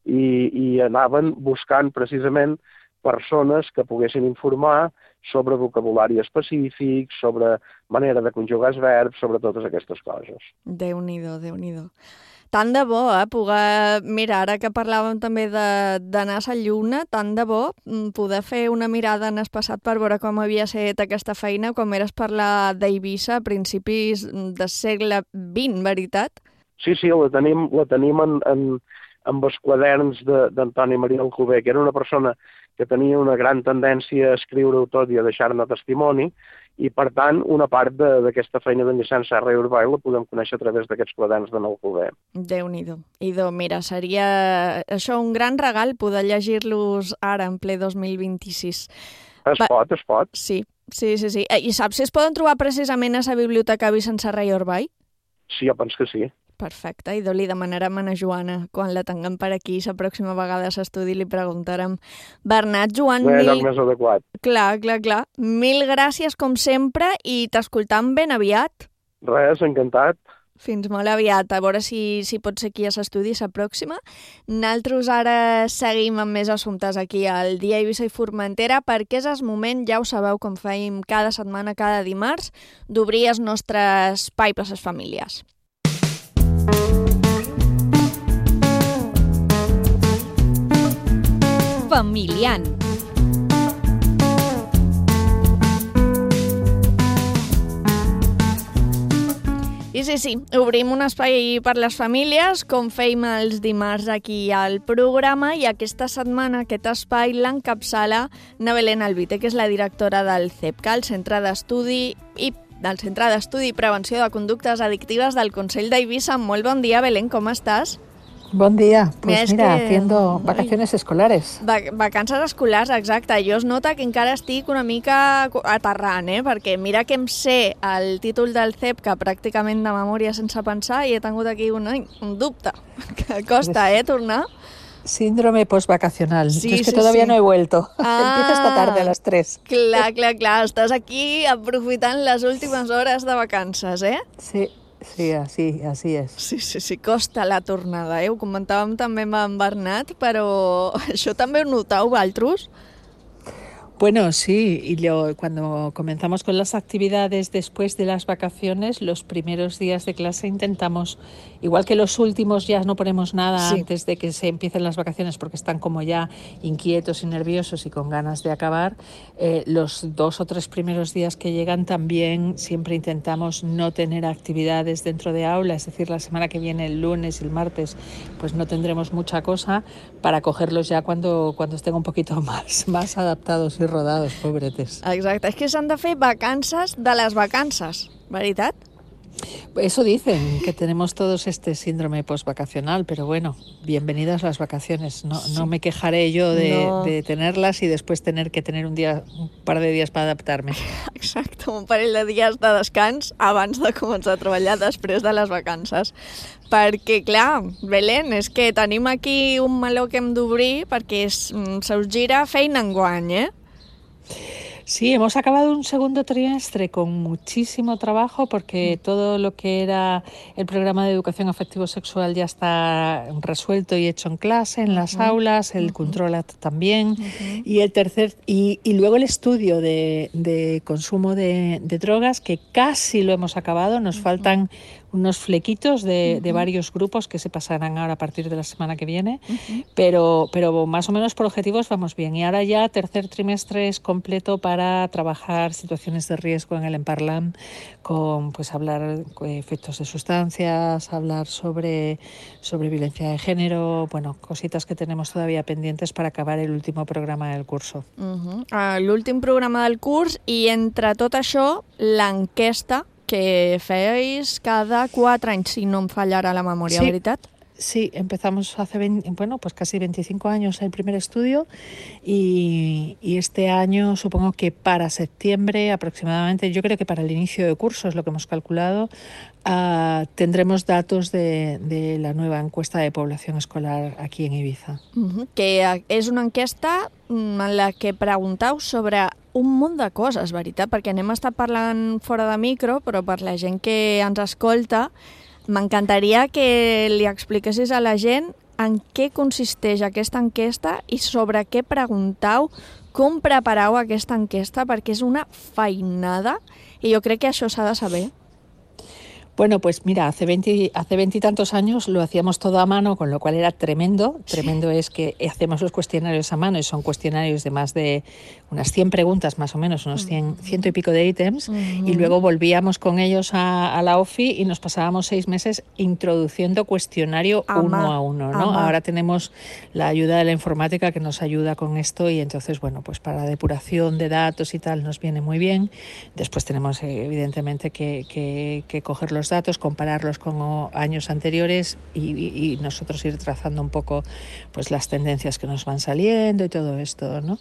i anaven buscant precisament persones que poguessin informar sobre vocabulari específic, sobre manera de conjugar els verbs, sobre totes aquestes coses. Déu-n'hi-do, Déu-n'hi-do. Tant de bo, poder... Mira, ara que parlàvem també d'anar a la lluna, tant de bo poder fer una mirada en el passat per veure com havia estat aquesta feina, com eres parlar d'Eivissa a principis del segle XX, veritat? Sí, la tenim en els quaderns d'Antoni Maria Alcover, que era una persona que tenia una gran tendència a escriure-ho tot i a deixar-ne testimoni, i, per tant, una part d'aquesta feina d'enllaçant Serra i Urbà la podem conèixer a través d'aquests quaderns d'en Alcover. Déu-n'hi-do. Mira, seria això un gran regal poder llegir-los ara, en ple 2026. Es pot. Sí. I saps si es poden trobar precisament a la Biblioteca Vicent Serra i Urbà? Sí, jo penso que sí. Perfecte, i li demanarem a Joana, quan la tinguem per aquí, la pròxima vegada a l'estudi li preguntarem. Bernat, Joan... No hi ha lloc més adequat. Clar. Mil gràcies, com sempre, i t'escoltam ben aviat. Res, encantat. Fins molt aviat, a veure si pot ser aquí a l'estudi la pròxima. Nosaltres ara seguim amb més assumptes aquí al Dia Eivissa i Formentera, perquè és el moment, ja ho sabeu, com feim cada setmana, cada dimarts, d'obrir el nostre espai per a les famílies. Familiant. I sí, obrim un espai per les famílies, com feim els dimarts aquí al programa, i aquesta setmana aquest espai l'encapçala na Belén Albite, que és la directora del CEPCA, el Centre d'Estudi i Prevenció de Conductes Addictives del Consell d'Eivissa. Molt bon dia, Belén, com estàs? Buen día, pues mira, haciendo vacaciones escolares. Vacances escolars, exacte. Jo es nota que encara estic una mica aterrant, perquè mira que em sé el títol del CEPCA pràcticament de memòria sense pensar i he tingut aquí un dubte. Que costa, tornar. Síndrome postvacacional. Sí, es que todavía no he vuelto. Empiezo esta tarde a las 3. Clar. Estàs aquí aprofitant les últimes hores de vacances, Sí, así es. Sí, costa la tornada, Ho comentàvem també amb en Bernat, però això també ho noteu, vosaltres? Bueno, sí, y cuando comenzamos con las actividades después de las vacaciones, los primeros días de clase intentamos, igual que los últimos ya no ponemos nada antes de que se empiecen las vacaciones porque están como ya inquietos y nerviosos y con ganas de acabar, los 2 o 3 primeros días que llegan también siempre intentamos no tener actividades dentro de aula, es decir, la semana que viene, el lunes y el martes, pues no tendremos mucha cosa para cogerlos ya cuando estén un poquito más adaptados y rodados, pobretes. Exacte, és que s'han de fer vacances de les vacances, veritat? Eso dicen, que tenemos todos este síndrome postvacacional, pero bueno, bienvenidas las vacaciones. No me quejaré yo de tenerlas y después tener que tener un par de días para adaptarme. Exacte, un parell de dies de descans abans de començar a treballar després de les vacances. Perquè, clar, Belén, és que tenim aquí un meló que hem d'obrir perquè se us gira feina enguany, Sí, hemos acabado un segundo trimestre con muchísimo trabajo porque todo lo que era el programa de educación afectivo-sexual ya está resuelto y hecho en clase, en las aulas, el Controlat también, y el tercer y luego el estudio de consumo de drogas, que casi lo hemos acabado, nos faltan unos flequitos de varios grupos que se pasarán ahora a partir de la semana que viene, pero más o menos por objetivos vamos bien. Y ahora ya tercer trimestre es completo para trabajar situaciones de riesgo en el Emparlam, con hablar efectos de sustancias, hablar sobre violencia de género, cositas que tenemos todavía pendientes para acabar el último programa del curso. L'últim programa del curs, i entre tot això, l'enquesta que feis cada 4 anys, si no em fallarà la memòria, veritat? Sí, empezamos hace pues casi 25 años el primer estudio y este año supongo que para septiembre aproximadamente, yo creo que para el inicio de curso es lo que hemos calculado, tendremos datos de la nueva encuesta de población escolar aquí en Ibiza. Que és una enquesta en la que preguntau sobre un munt de coses, veritat? Perquè anem a estar parlant fora de micro, però per la gent que ens escolta, m'encantaria que li expliquessis a la gent en què consisteix aquesta enquesta i sobre què preguntau, com preparau aquesta enquesta, perquè és una feinada i jo crec que això s'ha de saber. Bueno, pues mira, hace 20 y tantos años lo hacíamos todo a mano, con lo cual era tremendo. Tremendo es que hacemos los cuestionarios a mano y son cuestionarios de más de unas 100 preguntas más o menos, unos 100 y pico de ítems, y luego volvíamos con ellos a la OFI y nos pasábamos 6 meses introduciendo cuestionario uno a uno, ¿no? Ahora tenemos la ayuda de la informática que nos ayuda con esto y entonces, bueno, pues para la depuración de datos y tal nos viene muy bien. Después tenemos evidentemente que coger los datos, compararlos con años anteriores y nosotros ir trazando un poco pues las tendencias que nos van saliendo y todo esto, ¿no?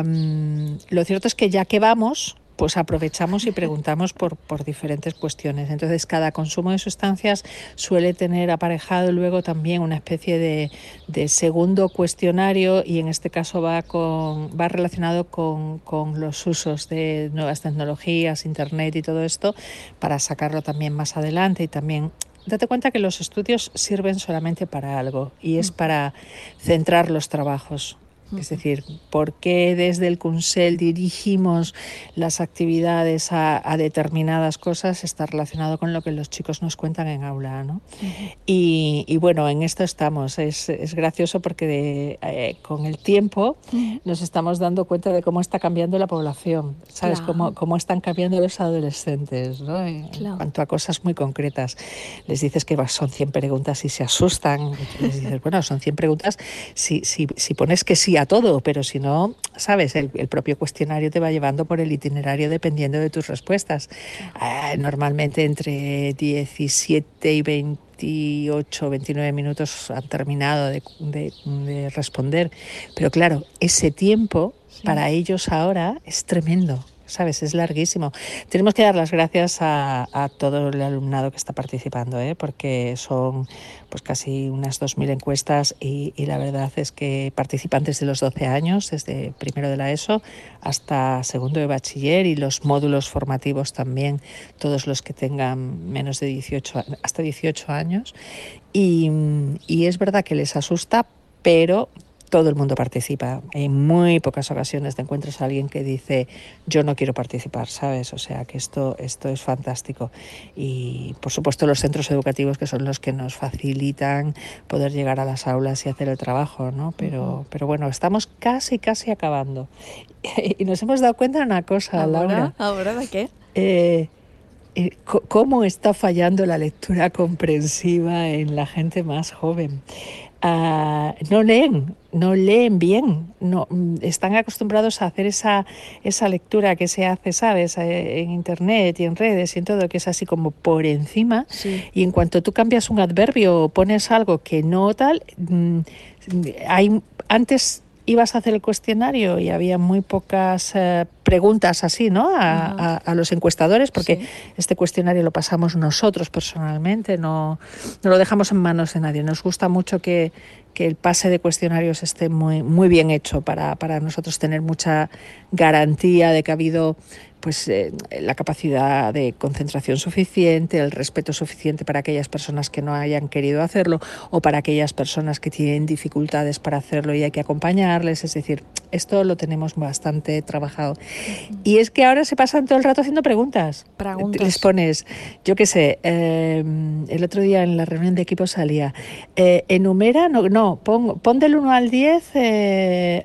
Lo cierto es que ya que vamos, pues aprovechamos y preguntamos por diferentes cuestiones. Entonces, cada consumo de sustancias suele tener aparejado luego también una especie de segundo cuestionario y en este caso va relacionado con los usos de nuevas tecnologías, Internet y todo esto, para sacarlo también más adelante y también... Date cuenta que los estudios sirven solamente para algo y es para centrar los trabajos. Es decir, ¿por qué desde el Consell dirigimos las actividades a determinadas cosas? Está relacionado con lo que los chicos nos cuentan en aula, ¿no? Y bueno, en esto estamos. Es gracioso porque con el tiempo nos estamos dando cuenta de cómo está cambiando la población, ¿sabes? Claro. Cómo están cambiando los adolescentes, ¿no? En cuanto a cosas muy concretas. Les dices que son 100 preguntas y se asustan. Les dices, bueno, son 100 preguntas si pones que sí a todo, pero si no, sabes, el propio cuestionario te va llevando por el itinerario dependiendo de tus respuestas. Normalmente entre 17 y 28, 29 minutos han terminado de responder, pero claro, ese tiempo para ellos ahora es tremendo. ¿Sabes? Es larguísimo. Tenemos que dar las gracias a todo el alumnado que está participando, porque son pues casi unas 2.000 encuestas y la verdad es que participan desde los 12 años, desde primero de la ESO hasta segundo de bachiller y los módulos formativos también, todos los que tengan menos de 18, hasta 18 años. Y es verdad que les asusta, pero... todo el mundo participa. En muy pocas ocasiones te encuentras a alguien que dice yo no quiero participar, ¿sabes? O sea que esto es fantástico. Y por supuesto los centros educativos que son los que nos facilitan poder llegar a las aulas y hacer el trabajo, ¿no? Pero bueno, estamos casi acabando. Y nos hemos dado cuenta de una cosa, Laura. ¿Ahora de qué? Cómo está fallando la lectura comprensiva en la gente más joven. No leen bien, no están acostumbrados a hacer esa lectura que se hace, ¿sabes? En internet y en redes y en todo, que es así como por encima, y en cuanto tú cambias un adverbio o pones algo que no tal, antes ibas a hacer el cuestionario y había muy pocas preguntas así, ¿no? A los encuestadores, porque este cuestionario lo pasamos nosotros personalmente, no lo dejamos en manos de nadie. Nos gusta mucho que el pase de cuestionarios esté muy bien hecho para nosotros tener mucha garantía de que ha habido pues la capacidad de concentración suficiente, el respeto suficiente para aquellas personas que no hayan querido hacerlo o para aquellas personas que tienen dificultades para hacerlo y hay que acompañarles. Es decir, esto lo tenemos bastante trabajado. Y es que ahora se pasan todo el rato haciendo preguntas. Les pones, yo qué sé, el otro día en la reunión de equipo salía, enumera, pon del 1 al 10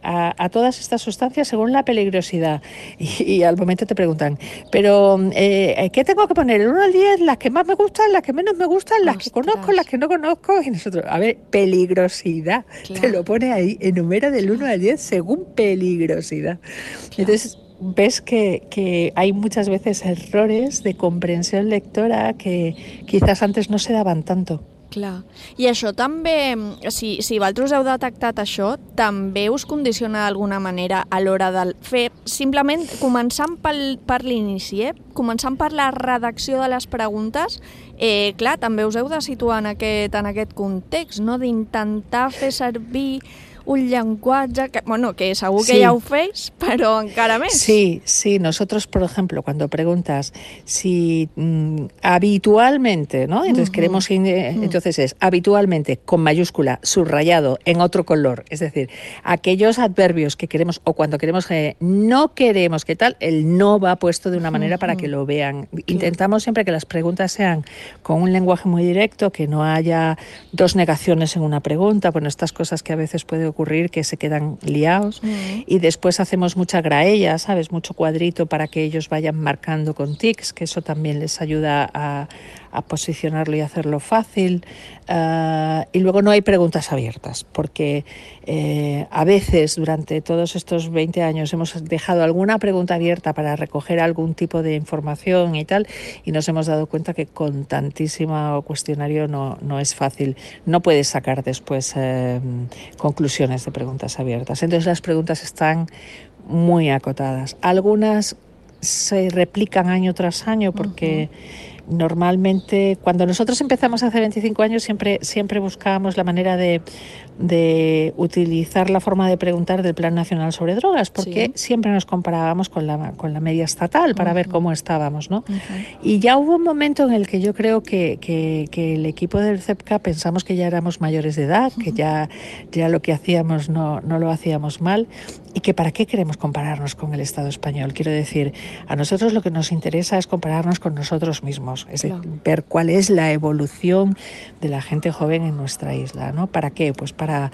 a todas estas sustancias según la peligrosidad. Y al momento te preguntan, pero ¿qué tengo que poner? ¿El 1 al 10? ¿Las que más me gustan? ¿Las que menos me gustan? ¿Las que conozco? ¿Las que no conozco? Y nosotros, a ver, peligrosidad. Claro. Te lo pone ahí, enumera del 1 al 10 según peligrosidad. Claro. Entonces, ves que hay muchas veces errores de comprensión lectora que quizás antes no se daban tanto. Clar. I això també, si vosaltres heu detectat això, també us condiciona d'alguna manera a l'hora de fer, simplement començant per l'inici, començant per la redacció de les preguntes, clar, també us heu de situar en aquest context, no? D'intentar fer servir un llenguaje que segur que ya hacéis, pero encara més. Sí, nosotros, por ejemplo, cuando preguntas si habitualmente, ¿no? Entonces queremos, entonces es habitualmente con mayúscula, subrayado, en otro color, es decir, aquellos adverbios que queremos o cuando queremos no queremos, ¿qué tal? El no va puesto de una manera para que lo vean. Intentamos siempre que las preguntas sean con un lenguaje muy directo, que no haya dos negaciones en una pregunta, bueno, estas cosas que a veces puede ocurrir que se quedan liados y después hacemos mucha graella, ¿sabes? Mucho cuadrito para que ellos vayan marcando con tics, que eso también les ayuda a posicionarlo y hacerlo fácil. Y luego no hay preguntas abiertas, porque a veces durante todos estos 20 años hemos dejado alguna pregunta abierta para recoger algún tipo de información y tal, y nos hemos dado cuenta que con tantísimo cuestionario no es fácil. No puedes sacar después conclusiones de preguntas abiertas. Entonces las preguntas están muy acotadas. Algunas se replican año tras año porque normalmente cuando nosotros empezamos hace 25 años siempre buscábamos la manera de utilizar la forma de preguntar del Plan Nacional sobre Drogas, porque siempre nos comparábamos con la media estatal para ver cómo estábamos, ¿no? Y ya hubo un momento en el que yo creo que el equipo del CEPCA pensamos que ya éramos mayores de edad, que ya lo que hacíamos no lo hacíamos mal, y que para qué queremos compararnos con el Estado español. Quiero decir, a nosotros lo que nos interesa es compararnos con nosotros mismos, es decir, ver cuál es la evolución de la gente joven en nuestra isla, ¿no? ¿Para qué? Pues para,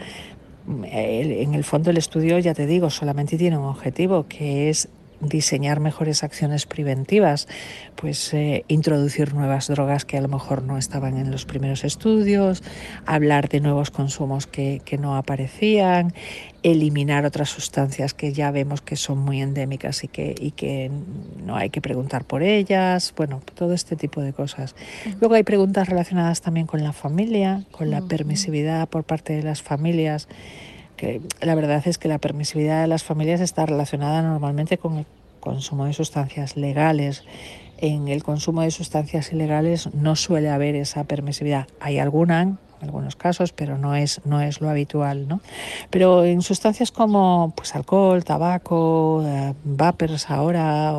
en el fondo el estudio, ya te digo, solamente tiene un objetivo, que es diseñar mejores acciones preventivas, pues introducir nuevas drogas que a lo mejor no estaban en los primeros estudios, hablar de nuevos consumos que no aparecían, eliminar otras sustancias que ya vemos que son muy endémicas y que no hay que preguntar por ellas, bueno, todo este tipo de cosas. Luego hay preguntas relacionadas también con la familia, con la permisividad por parte de las familias, que la verdad es que la permisividad de las familias está relacionada normalmente con el consumo de sustancias legales. En el consumo de sustancias ilegales no suele haber esa permisividad. Hay algunos casos, pero no es lo habitual, ¿no? Pero en sustancias como pues alcohol, tabaco, vapers ahora,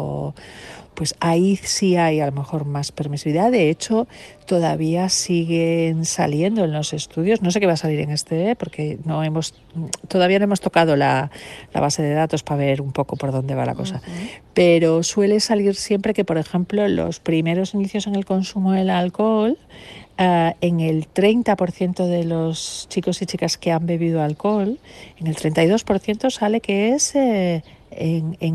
pues ahí sí hay a lo mejor más permisividad. De hecho, todavía siguen saliendo en los estudios. No sé qué va a salir en este, porque todavía no hemos tocado la base de datos para ver un poco por dónde va la cosa. Pero suele salir siempre que, por ejemplo, los primeros inicios en el consumo del alcohol, en el 30% de los chicos y chicas que han bebido alcohol, en el 32% sale que es en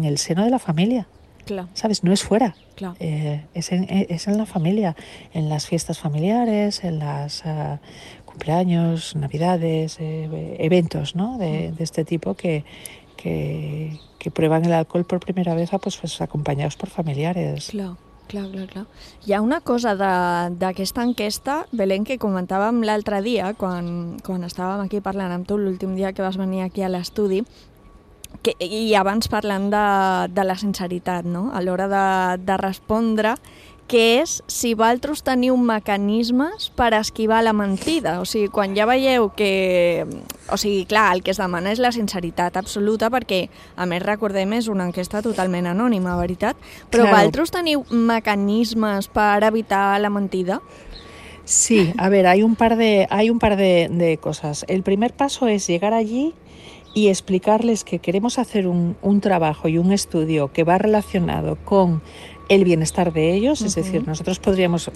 el seno de la familia. Claro. ¿Sabes? No es fuera, claro. Es en la familia, en las fiestas familiares, en las cumpleaños, navidades, eventos, ¿no? de este tipo que prueban el alcohol por primera vez pues acompañados por familiares. Clar. Hi ha una cosa d'aquesta enquesta, Belén, que comentàvem l'altre dia, quan estàvem aquí parlant amb tu l'últim dia que vas venir aquí a l'estudi, i abans parlant de la sinceritat, no? A l'hora de respondre, que és si vosaltres teniu mecanismes per esquivar la mentida. O sigui, quan ja veieu que... O sigui, clar, el que es demana és la sinceritat absoluta, perquè, a més, recordem, és una enquesta totalment anònima, veritat? Però vosaltres teniu mecanismes per evitar la mentida? Sí, a ver, hay un par de cosas. El primer paso es llegar allí y explicarles que queremos hacer un trabajo y un estudio que va relacionado con el bienestar de ellos, es decir, nosotros podríamos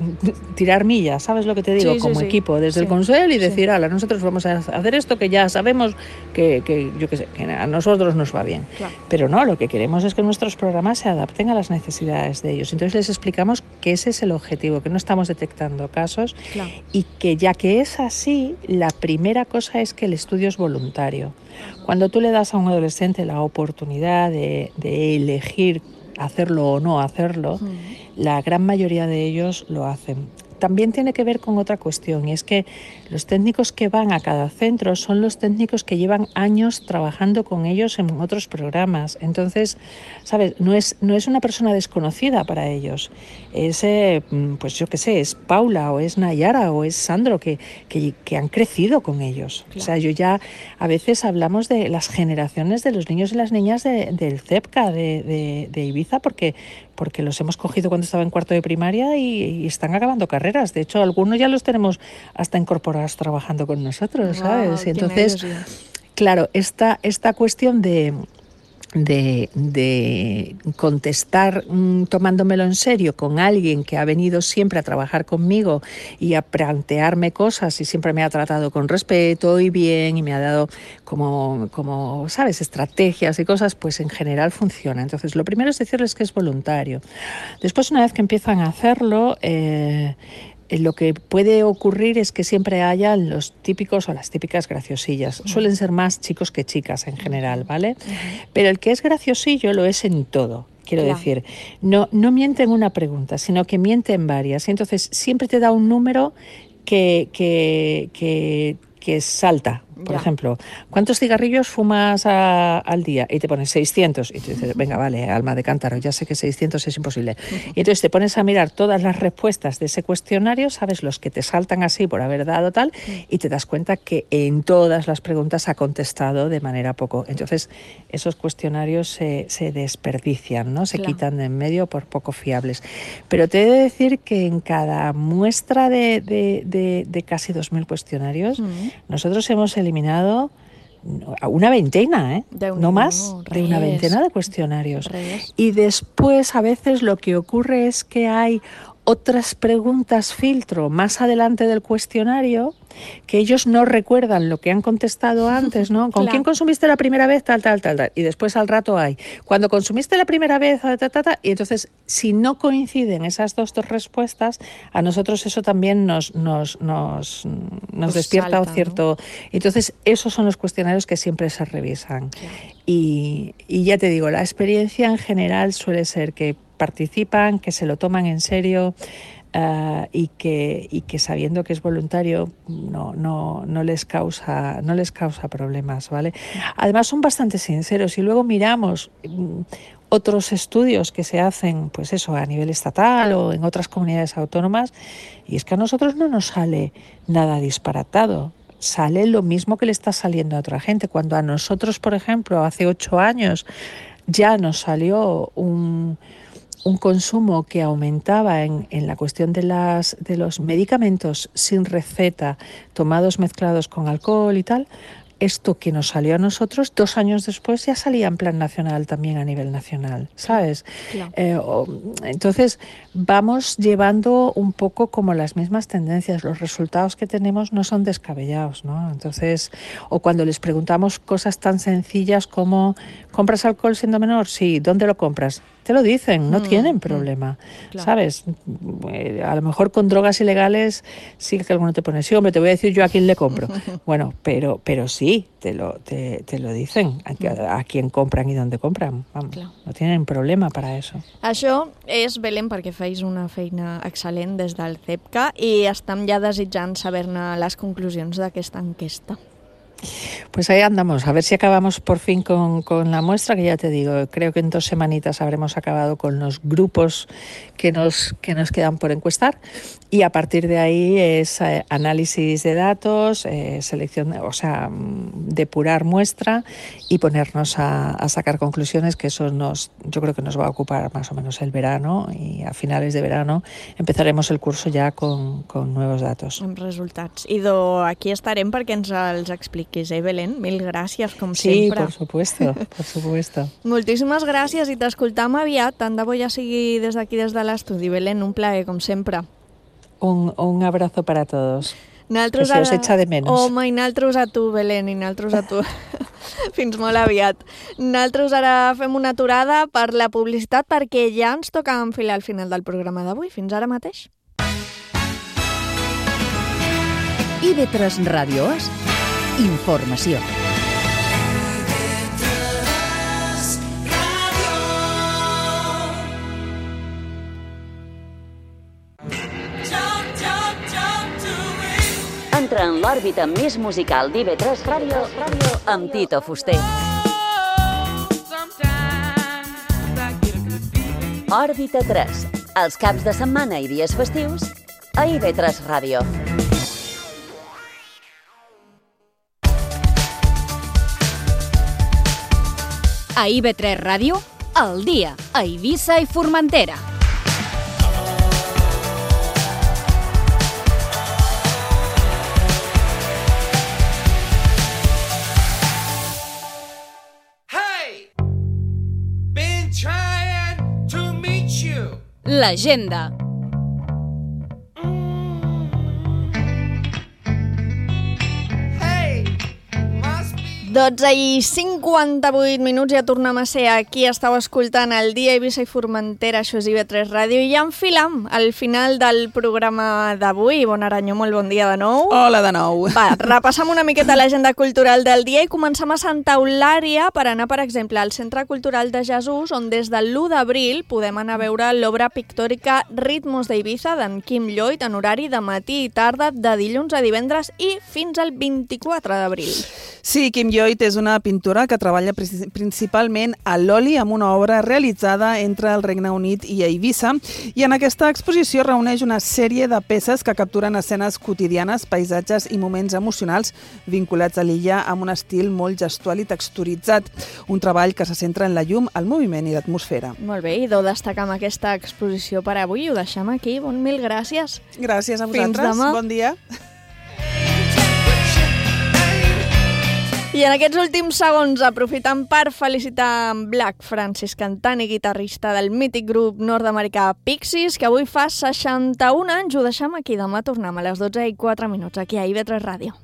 tirar millas, ¿sabes lo que te digo? Como equipo, desde el Consell y decir, ala, nosotros vamos a hacer esto que ya sabemos que yo qué sé, que a nosotros nos va bien. Claro. Pero no, lo que queremos es que nuestros programas se adapten a las necesidades de ellos. Entonces les explicamos que ese es el objetivo, que no estamos detectando casos y que ya que es así, la primera cosa es que el estudio es voluntario. Cuando tú le das a un adolescente la oportunidad de elegir hacerlo o no hacerlo, la gran mayoría de ellos lo hacen. también tiene que ver con otra cuestión, y es que los técnicos que van a cada centro son los técnicos que llevan años trabajando con ellos en otros programas. Entonces, ¿sabes? No es una persona desconocida para ellos. Es, pues yo qué sé, es Paula o es Nayara o es Sandro que han crecido con ellos. Claro. O sea, yo ya a veces hablamos de las generaciones de los niños y las niñas del CEPCA de Ibiza porque los hemos cogido cuando estaba en cuarto de primaria y están acabando carreras. De hecho, algunos ya los tenemos hasta incorporados trabajando con nosotros, ¿sabes? Y entonces, claro, esta cuestión de contestar tomándomelo en serio con alguien que ha venido siempre a trabajar conmigo y a plantearme cosas y siempre me ha tratado con respeto y bien y me ha dado como ¿sabes?, estrategias y cosas, pues en general funciona. Entonces, lo primero es decirles que es voluntario. Después, una vez que empiezan a hacerlo, lo que puede ocurrir es que siempre haya los típicos o las típicas graciosillas. Suelen ser más chicos que chicas en general, ¿vale? Pero el que es graciosillo lo es en todo. Quiero decir, no miente en una pregunta, sino que miente en varias. Y entonces siempre te da un número que salta. Por ejemplo, ¿cuántos cigarrillos fumas al día? Y te pones 600. Y tú dices, venga, vale, alma de cántaro, ya sé que 600 es imposible. Y entonces te pones a mirar todas las respuestas de ese cuestionario, sabes los que te saltan así por haber dado tal, y te das cuenta que en todas las preguntas ha contestado de manera poco. Entonces, esos cuestionarios se desperdician, ¿no? Se quitan de en medio por poco fiables. Pero te he de decir que en cada muestra de casi 2.000 cuestionarios, nosotros hemos eliminado una veintena, no más, de una veintena de cuestionarios. Y después a veces lo que ocurre es que hay otras preguntas filtro más adelante del cuestionario que ellos no recuerdan lo que han contestado antes, ¿no? ¿Con quién consumiste la primera vez? Tal. Y después al rato hay, cuando consumiste la primera vez, y entonces si no coinciden esas dos respuestas, a nosotros eso también nos despierta salta, un cierto... ¿no? Entonces esos son los cuestionarios que siempre se revisan. Y ya te digo, la experiencia en general suele ser que participan, que se lo toman en serio, y que sabiendo que es voluntario no les causa problemas, ¿vale? Además son bastante sinceros y luego miramos otros estudios que se hacen, pues eso, a nivel estatal o en otras comunidades autónomas, y es que a nosotros no nos sale nada disparatado. Sale lo mismo que le está saliendo a otra gente. Cuando a nosotros, por ejemplo, hace 8 años ya nos salió un consumo que aumentaba en la cuestión de los medicamentos sin receta, tomados mezclados con alcohol y tal, esto que nos salió a nosotros 2 años después ya salía en plan nacional también a nivel nacional, ¿sabes? Claro. Entonces vamos llevando un poco como las mismas tendencias, los resultados que tenemos no son descabellados, ¿no? Entonces, o cuando les preguntamos cosas tan sencillas como ¿compras alcohol siendo menor? Sí, ¿dónde lo compras? Te lo dicen, no tienen problema, claro. ¿Sabes? A lo mejor con drogas ilegales sí que alguno te pone, sí, hombre, te voy a decir yo a quién le compro. Bueno, pero sí, te lo dicen, a quién compran y dónde compran. Vamos, claro. No tienen problema para eso. Això és, Belén, perquè feis una feina excel·lent des del CEPCA i estem ja desitjant saber-ne les conclusions d'aquesta enquesta. Pues ahí andamos, a ver si acabamos por fin con la muestra, que ya te digo, creo que en 2 semanitas habremos acabado con los grupos que nos quedan por encuestar, y a partir de ahí es análisis de datos, selección, o sea, depurar muestra y ponernos a sacar conclusiones, que eso yo creo que nos va a ocupar más o menos el verano, y a finales de verano empezaremos el curso ya con nuevos datos. Amb resultats. I aquí estarem perquè ens els expliquis, Belén? Mil gràcies, com sempre. Sí, por supuesto, por supuesto. Moltíssimes gràcies i t'escoltam aviat, tant de bo ja sigui des d'aquí, des de l'estudi. Belén, un plaer, com sempre. Un abrazo para todos. Naltros que se os echa de menos. Home, i naltros a tu, Belén, i naltros a tu. Fins molt aviat. Naltros ara fem una aturada per la publicitat, perquè ja ens toca enfilar al final del programa d'avui. Fins ara mateix. IB3 Ràdio és informació. Ja Entra en l'òrbita més musical d'IV3 Ràdio amb Tito Fuster. Òrbita 3, els caps de setmana i dies festius a IV3 Ràdio. A IV3 Ràdio, al dia, a Eivissa i Formentera. L'agenda. 12:58 ja tornem a ser aquí. Estàu escoltant el dia Eivissa i Formentera, això és IB3 Ràdio, i ja enfilam al final del programa d'avui. Bon Aranyó, molt bon dia de nou. Hola de nou. Va, repassam una miqueta l'agenda cultural del dia i comencem a Santa Eulària per anar, per exemple, al Centre Cultural de Jesús, on des del l'1 d'abril podem anar a veure l'obra pictòrica Ritmos d'Eivissa d'en Quim Lloyd en horari de matí i tarda de dilluns a divendres i fins al 24 d'abril. Sí, Quim Lloyd és una pintora que treballa principalment a l'oli amb una obra realitzada entre el Regne Unit i Eivissa, i en aquesta exposició reuneix una sèrie de peces que capturen escenes quotidianes, paisatges i moments emocionals vinculats a l'illa amb un estil molt gestual i texturitzat. Un treball que se centra en la llum, el moviment i l'atmosfera. Molt bé, i deu destacar amb aquesta exposició per avui. Ho deixem aquí. Mil gràcies. Gràcies a vosaltres. Fins demà. Bon dia. I en aquests últims segons, aprofitant per felicitar en Black Francis, cantant i guitarrista del mític grup nord-americà Pixies, que avui fa 61 anys, ho deixem aquí. Demà tornem a les 12:04 aquí a IB3 Ràdio.